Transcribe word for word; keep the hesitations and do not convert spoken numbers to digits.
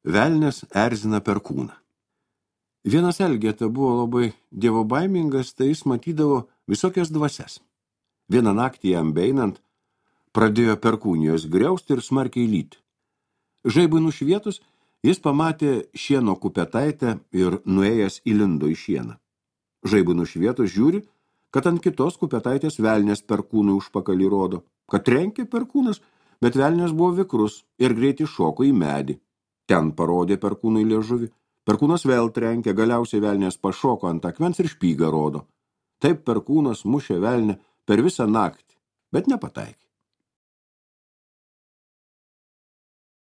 Velnias erzina perkūną. Vienas Elgeta buvo labai dievobaimingas, tai jis matydavo visokias dvasias. Vieną naktį jam beinant pradėjo perkūnijos griausti ir smarkiai lyti. Žaibui nušvietus, jis pamatė šieno kupetaitę ir nuėjęs įlindo į šieną. Žaibui nušvietus žiūri, kad ant kitos kupetaitės velnias perkūnui užpakalį rodo, kad trenkė perkūnas, bet velnias buvo vikrus ir greitai šoko į medį. Ten parodė perkūnui liežuvį. Perkūnas vėl trenkė, galiausiai velnias pašoko ant akmens ir špygą rodo. Taip perkūnas mušė velnę per visą naktį, bet nepataikė.